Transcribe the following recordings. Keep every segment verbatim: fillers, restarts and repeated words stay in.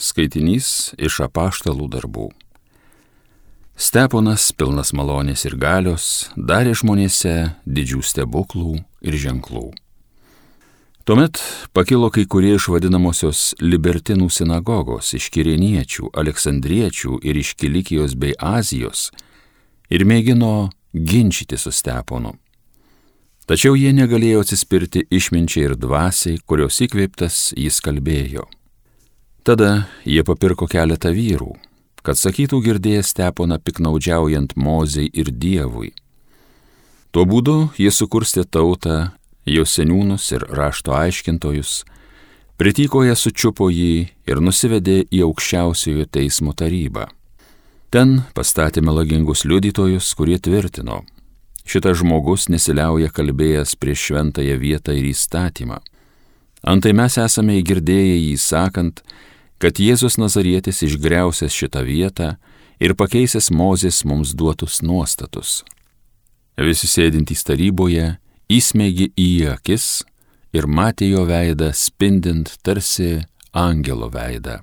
Skaitinys iš Apaštalų darbų. Steponas, pilnas malonės ir galios, darė žmonėse didžių stebuklų ir ženklų. Tuomet pakilo kai kurie iš vadinamosios libertinų sinagogos, iš Kirėniečių, Aleksandriečių ir iš Kilikijos bei Azijos ir mėgino ginčyti su Steponu. Tačiau jie negalėjo atsispirti išminčiai ir dvasiai, kurios įkvėptas jis kalbėjo. Tada jie papirko keletą vyrų, kad sakytų girdėję Steponą piknaudžiaujant Mozei ir Dievui. Tuo būdu jie sukurstė tautą, jos seniūnus ir rašto aiškintojus, pritykoje sučiupo jį ir nusivedė į aukščiausiojo teismo tarybą. Ten pastatė melagingus liudytojus, kurie tvirtino: šitas žmogus nesiliauja kalbėjęs prieš šventąją vietą ir įstatymą. Antai mes esame įgirdėję jį sakant, kad Jėzus Nazarietis išgriausęs šitą vietą ir pakeisęs Mozės mums duotus nuostatus. Visi sėdintys taryboje įsmeigė į jį akis ir matė jo veidą spindint tarsi angelo veidą.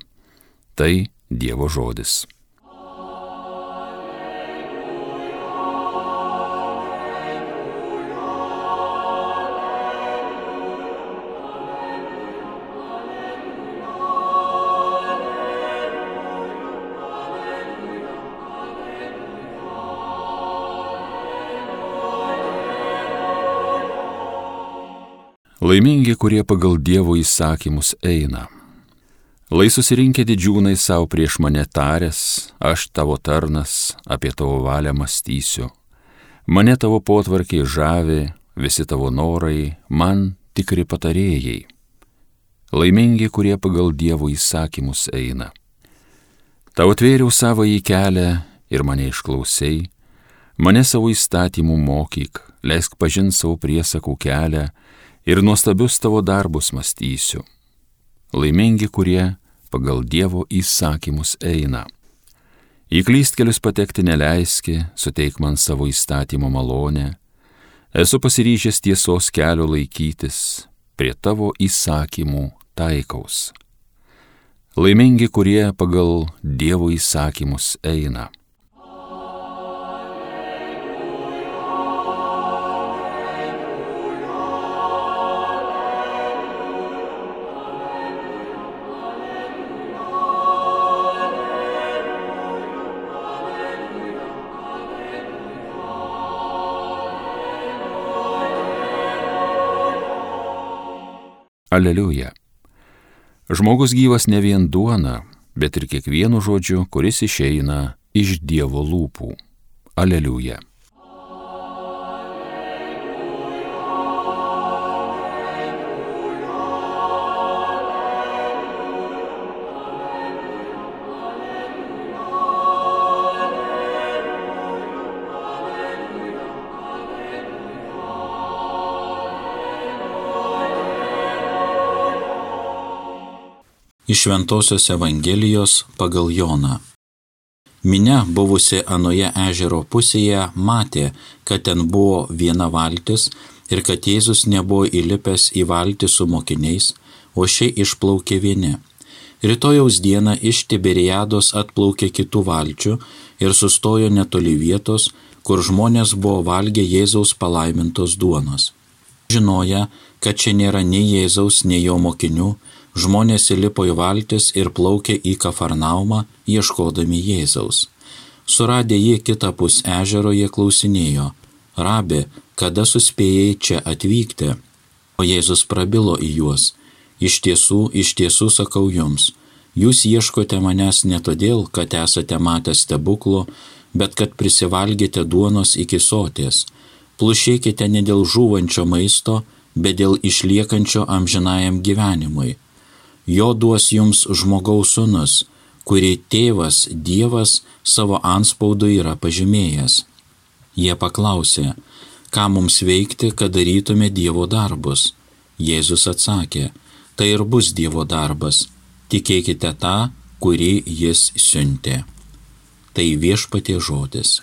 Tai Dievo žodis. Laimingi, kurie pagal Dievo įsakymus eina. Lai susirinkę didžiūnai savo prieš mane taręs, aš tavo tarnas, apie tavo valią mąstysiu. Mane tavo potvarkiai žavi, visi tavo norai, man tikri patarėjai. Laimingi, kurie pagal Dievo įsakymus eina. Tau atvėriau savąjį kelią ir mane išklausei, mane savo įstatymų mokyk, leisk pažint savo priesakų kelią, ir nuostabius tavo darbus mąstysiu. Laimingi, kurie pagal Dievo įsakymus eina. Į klystkelius patekti neleiski, suteik man savo įstatymo malonę. Esu pasiryžęs tiesos kelio laikytis, prie tavo įsakymų taikaus. Laimingi, kurie pagal Dievo įsakymus eina. Aleliuja. Žmogus gyvas ne vien duona, bet ir kiekvienu žodžiu, kuris išeina iš Dievo lūpų. Aleliuja. Iš Šventosios Evangelijos pagal Joną. Minia, buvusi anoje ežero pusėje, matė, kad ten buvo viena valtis ir kad Jėzus nebuvo įlipęs į valtį su mokiniais, o ši išplaukė vieni. Rytojaus dieną iš Tiberiados atplaukė kitų valčių ir sustojo netoli vietos, kur žmonės buvo valgę Jėzaus palaimintos duonos. Žinoja, kad čia nėra nei Jėzaus, nei jo mokinių, žmonės įlipo į valtis ir plaukė į Kafarnaumą, ieškodami Jėzaus. Suradę jį kitapus ežero, jie klausinėjo: Rabi, kada suspėjai čia atvykti? O Jėzus prabilo į juos: Iš tiesų, iš tiesų sakau jums, jūs ieškote manęs ne todėl, kad esate matę stebuklų, bet kad prisivalgėte duonos iki soties. Plušėkite ne dėl žūvančio maisto, bet dėl išliekančio amžinajam gyvenimui. Jo duos jums žmogaus sūnus, kurį tėvas Dievas savo antspaudu yra pažymėjęs. Jie paklausė: ką mums veikti, kad darytume Dievo darbus? Jėzus atsakė: tai ir bus Dievo darbas, tikėkite tą, kurį jis siuntė. Tai Viešpaties žodis.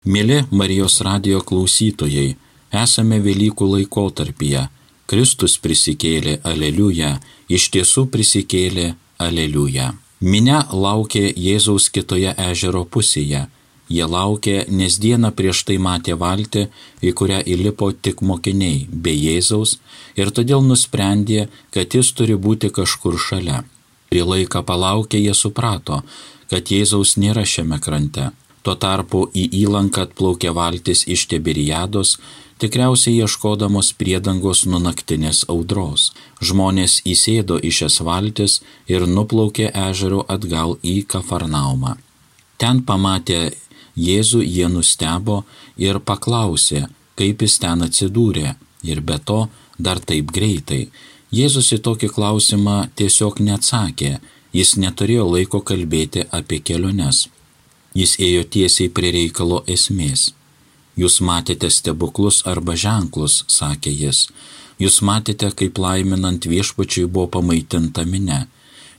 Mėly Marijos radijo klausytojai, esame Velykų laikotarpyje. Kristus prisikėlė, aleliuja, iš tiesų prisikėlė, aleliuja. Minia laukė Jėzaus kitoje ežero pusėje. Jie laukė, nes dieną prieš tai matė valtį, į kurią įlipo tik mokiniai, be Jėzaus, ir todėl nusprendė, kad jis turi būti kažkur šalia. Prie laiką palaukę jie suprato, kad Jėzaus nėra šiame krante. Tuo tarpu į įlanką atplaukė valtis iš Tiberiados, tikriausiai ieškodamos priedangos nuo naktinės audros. Žmonės įsėdo į šias valtis ir nuplaukė ežero atgal į Kafarnaumą. Ten pamatę Jėzų jie nustebo ir paklausė, kaip jis ten atsidūrė, ir be to dar taip greitai. Jėzus į tokį klausimą tiesiog neatsakė, jis neturėjo laiko kalbėti apie keliones. Jis ėjo tiesiai prie reikalo esmės. Jūs matėte stebuklus arba ženklus, sakė jis. Jūs matėte, kaip laiminant viešpačiui buvo pamaitinta minia.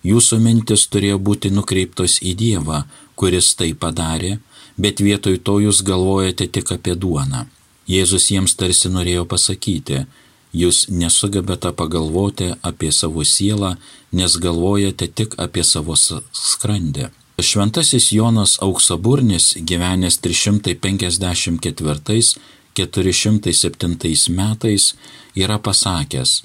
Jūsų mintis turėjo būti nukreiptos į Dievą, kuris tai padarė, bet vietoj to jūs galvojate tik apie duoną. Jėzus jiems tarsi norėjo pasakyti, jūs nesugebate pagalvoti apie savo sielą, nes galvojate tik apie savo skrandį. Šventasis Jonas Auksaburnis, gyvenęs trys šimtai penkiasdešimt ketvirtais - keturi šimtai septintais metais, yra pasakęs,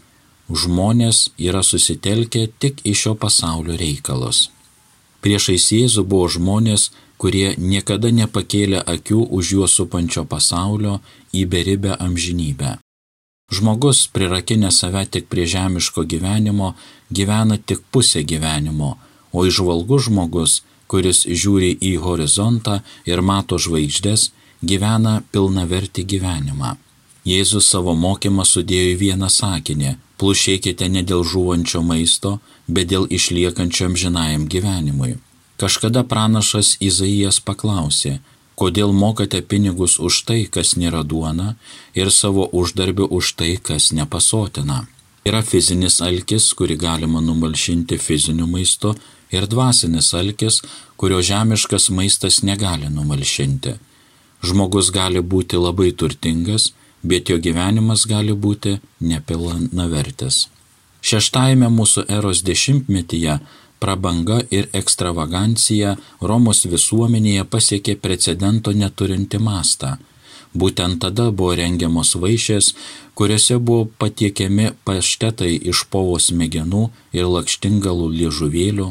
žmonės yra susitelkę tik į šio pasaulio reikalus. Priešais Jėzų buvo žmonės, kurie niekada nepakėlė akių už juos supančio pasaulio į beribę amžinybę. Žmogus, prirakinęs save tik prie žemiško gyvenimo, gyvena tik pusę gyvenimo, o įžvalgus žmogus, kuris žiūri į horizontą ir mato žvaigždes, gyvena pilnavertį gyvenimą. Jėzus savo mokymą sudėjo į vieną sakinį: plušėkite ne dėl žūvančio maisto, bet dėl išliekančio amžinajam gyvenimui. Kažkada pranašas Izaijas paklausė, kodėl mokate pinigus už tai, kas nėra duona, ir savo uždarbį už tai, kas nepasotina. Yra fizinis alkis, kurį galima numalšinti fiziniu maistu, ir dvasinis alkis, kurio žemiškas maistas negali numalšinti. Žmogus gali būti labai turtingas, bet jo gyvenimas gali būti nepilnavertis. Šeštajame mūsų eros dešimtmetyje prabanga ir ekstravagancija Romos visuomenėje pasiekė precedento neturinti mastą. Būtent tada buvo rengiamos vaišės, kuriuose buvo patiekiami paštetai iš povos smegenų ir lakštingalų liežuvėlių.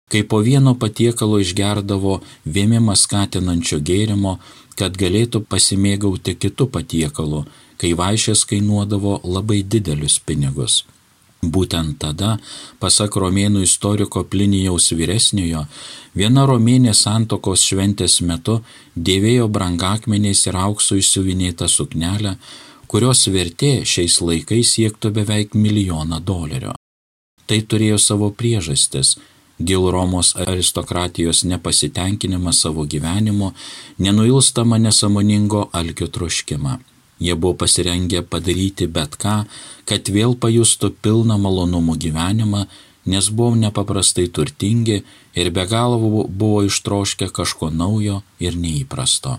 Kai po vieno patiekalo išgerdavo vėmimą skatinančio gėrimo, kad galėtų pasimėgauti kitų patiekalu, kai vaišės kainuodavo labai didelius pinigus. Būtent tada, pasak romėnų istoriko Plinijaus vyresniojo, viena romėnė santokos šventės metu dėvėjo brangakmeniais ir auksu išsiuvinėtą suknelę, kurios vertė šiais laikais siektų beveik milijoną dolerių. Tai turėjo savo priežastis. Dėl Romos aristokratijos nepasitenkinimą savo gyvenimu, nenuilstamą nesąmoningo alkio troškimą. Jie buvo pasirengę padaryti bet ką, kad vėl pajustų pilną malonumų gyvenimą, nes buvo nepaprastai turtingi ir be galo buvo ištroškę kažko naujo ir neįprasto.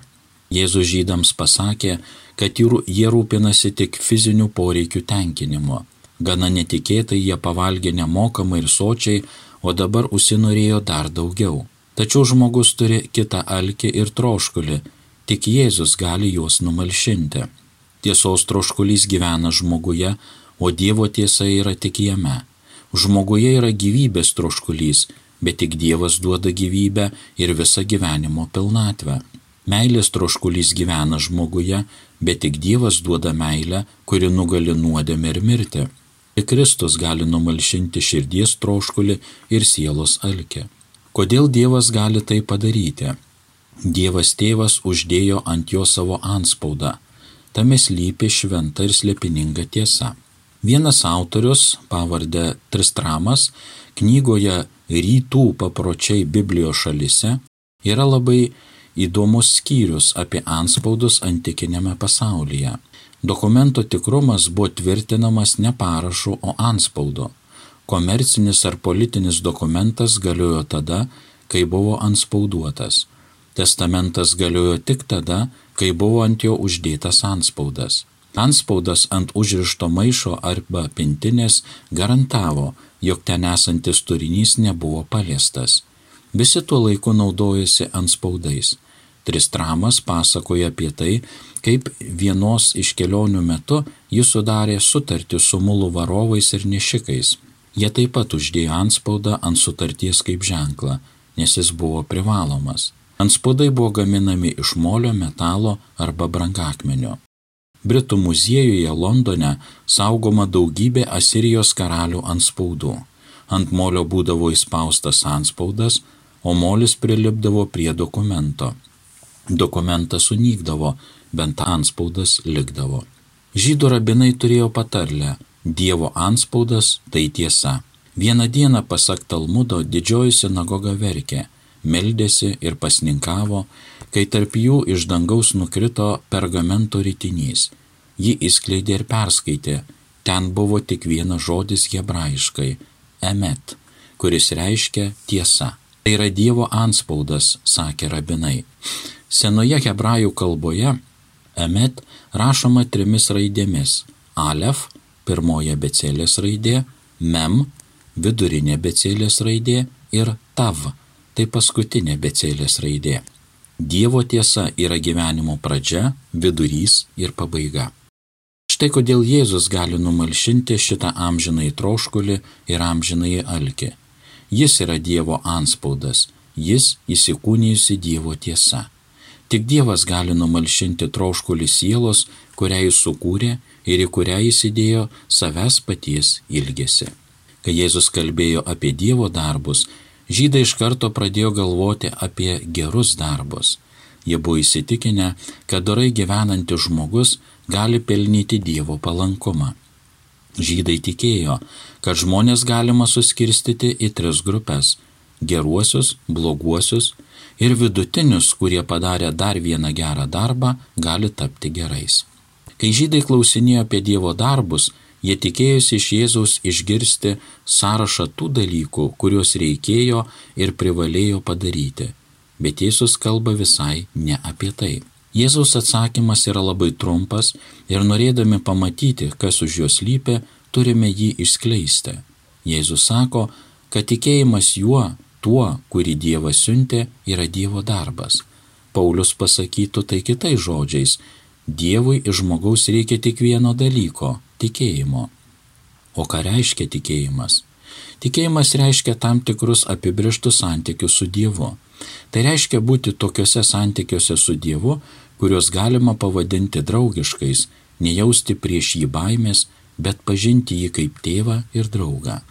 Jėzus žydams pasakė, kad jie rūpinasi tik fizinių poreikių tenkinimu. Gana netikėtai jie pavalgė nemokamai ir sočiai, o dabar užsinorėjo dar daugiau. Tačiau žmogus turi kitą alkį ir troškulį, tik Jėzus gali juos numalšinti. Tiesos troškulys gyvena žmoguje, o Dievo tiesa yra tik jame. Žmoguje yra gyvybės troškulys, bet tik Dievas duoda gyvybę ir visą gyvenimo pilnatvę. Meilės troškulys gyvena žmoguje, bet tik Dievas duoda meilę, kuri nugali nuodėmę ir mirtį. Tik Kristus gali numalšinti širdies troškulį ir sielos alkį. Kodėl Dievas gali tai padaryti? Dievas Tėvas uždėjo ant jo savo antspaudą. Tame slypi šventa ir slėpininga tiesa. Vienas autorius, pavarde Tristramas, knygoje Rytų papročiai Biblijos šalyse yra labai įdomus skyrius apie antspaudus antikinėme pasaulyje. Dokumento tikrumas buvo tvirtinamas ne parašu, o antspaudu. Komercinis ar politinis dokumentas galiojo tada, kai buvo antspauduotas. Testamentas galiojo tik tada, kai buvo ant jo uždėtas antspaudas. Antspaudas ant užrišto maišo arba pintinės garantavo, jog ten esantis turinys nebuvo paliestas. Visi tuo laiku naudojasi antspaudais. Tristramas pasakoja apie tai, kaip vienos iš kelionių metu jis sudarė sutartį su mulų varovais ir nešikais. Jie taip pat uždėjo antspaudą ant sutarties kaip ženklą, nes jis buvo privalomas. Antspaudai buvo gaminami iš molio, metalo arba brangakmenio. Britų muziejuje Londone saugoma daugybė Asirijos karalių antspaudų. Ant molio būdavo įspaustas antspaudas, o molis prilipdavo prie dokumento. Dokumentas sunykdavo, bent antspaudas likdavo. Žydų rabinai turėjo patarlę: Dievo antspaudas tai tiesa. Vieną dieną, pasak Talmudo, didžioji sinagoga verkė, meldėsi ir pasninkavo, kai tarp jų iš dangaus nukrito pergamento ritinys. Jį išskleidė ir perskaitė. Ten buvo tik vienas žodis hebrajiškai – emet, kuris reiškia tiesa. Tai yra Dievo antspaudas, sakė rabinai. Senoje hebrajų kalboje emet rašoma trimis raidėmis – alef, pirmoji abėcėlės raidė, mem, vidurinė abėcėlės raidė ir tav, tai paskutinė abėcėlės raidė. Dievo tiesa yra gyvenimo pradžia, vidurys ir pabaiga. Štai kodėl Jėzus gali numalšinti šitą amžinąjį troškulį ir amžinąjį alkį. Jis yra Dievo antspaudas, jis įsikūnijusi Dievo tiesa. Tik Dievas gali numalšinti troškulį sielos, kurią jis sukūrė ir į kurią jis įdėjo savęs paties ilgesį. Kai Jėzus kalbėjo apie Dievo darbus, žydai iš karto pradėjo galvoti apie gerus darbus. Jie buvo įsitikinę, kad dorai gyvenantis žmogus gali pelnyti Dievo palankumą. Žydai tikėjo, kad žmonės galima suskirstyti į tris grupės – geruosius, bloguosius ir vidutinius, kurie padarę dar vieną gerą darbą, gali tapti gerais. Kai žydai klausinėjo apie Dievo darbus, jie tikėjosi iš Jėzaus išgirsti sąrašą tų dalykų, kuriuos reikėjo ir privalėjo padaryti. Bet Jėzus kalba visai ne apie tai. Jėzaus atsakymas yra labai trumpas ir norėdami pamatyti, kas už jo slypi, turime jį išskleisti. Jėzus sako, kad tikėjimas juo, tuo, kurį Dievas siuntė, yra Dievo darbas. Paulius pasakytų tai kitais žodžiais: Dievui iš žmogaus reikia tik vieno dalyko – tikėjimo. O ką reiškia tikėjimas? Tikėjimas reiškia tam tikrus apibrėžtus santykius su Dievu. Tai reiškia būti tokiuose santykiuose su Dievu, kuriuos galima pavadinti draugiškais, nejausti prieš jį baimės, bet pažinti jį kaip tėvą ir draugą.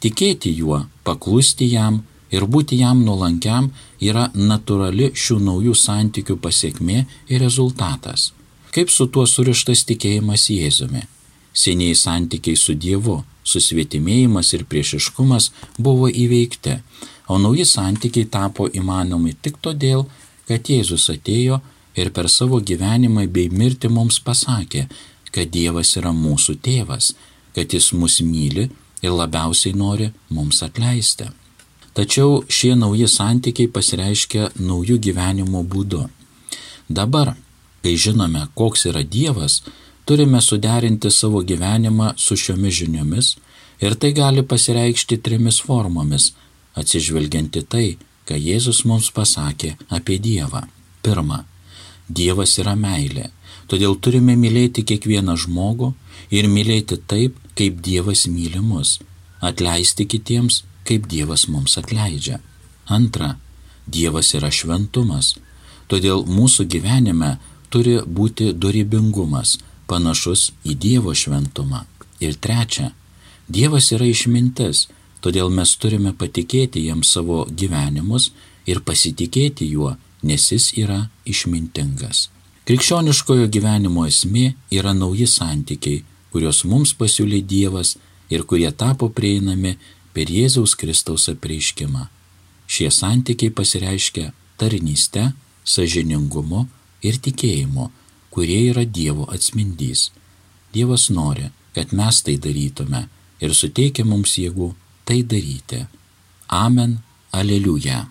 Tikėti juo, paklusti jam ir būti jam nuolankiam yra natūrali šių naujų santykių pasiekmė ir rezultatas. Kaip su tuo surištas tikėjimas Jėzumi? Senieji santykiai su Dievu, susvetimėjimas ir priešiškumas buvo įveikti, o nauji santykiai tapo įmanomi tik todėl, kad Jėzus atėjo ir per savo gyvenimą bei mirtį mums pasakė, kad Dievas yra mūsų tėvas, kad jis mus myli ir labiausiai nori mums atleisti. Tačiau šie nauji santykiai pasireiškia naujų gyvenimo būdu. Dabar, kai žinome, koks yra Dievas, turime suderinti savo gyvenimą su šiomis žiniomis ir tai gali pasireikšti trimis formomis, atsižvelgianti tai, ką Jėzus mums pasakė apie Dievą. Pirma, Dievas yra meilė, todėl turime mylėti kiekvieną žmogų ir mylėti taip, kaip Dievas myli mus, atleisti kitiems, kaip Dievas mums atleidžia. Antra, Dievas yra šventumas, todėl mūsų gyvenime turi būti dorybingumas, panašus į Dievo šventumą. Ir trečia, Dievas yra išmintis, todėl mes turime patikėti jam savo gyvenimus ir pasitikėti juo, nes jis yra išmintingas. Krikščioniškojo gyvenimo esmė yra nauji santykiai, kuriuos mums pasiūlė Dievas ir kurie tapo prieinami per Jėzaus Kristaus apreiškimą. Šie santykiai pasireiškia tarnyste, sąžiningumu ir tikėjimu, kurie yra Dievo atspindys. Dievas nori, kad mes tai darytume ir suteikia mums jėgų tai daryti. Amen. Aleliuja.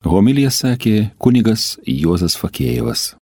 Homiliją sakė kunigas Juozas Fakėjevas.